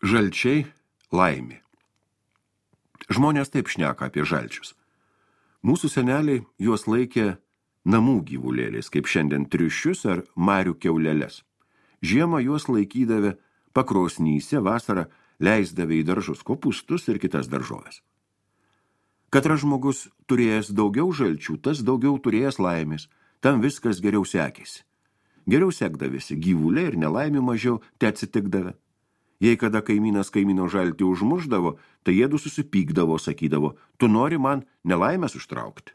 Žalčiai laimė. Žmonės taip šneka apie žalčius. Mūsų seneliai juos laikė namų gyvulėliais, kaip šiandien triušius ar marių kiauleles. Žiemą juos laikydavę pakrosnyse, vasarą leisdavę į daržus kopūstus ir kitas daržoves. Katras žmogus turėjęs daugiau žalčių, tas daugiau turėjęs laimės, tam viskas geriau sekėsi. Geriau sekdavėsi gyvuliai ir nelaimė mažiau te atsitikdavę. Jei kada kaimynas kaimyno žaltį užmušdavo, tai jėdu susipykdavo, sakydavo, tu nori man nelaimės užtraukti.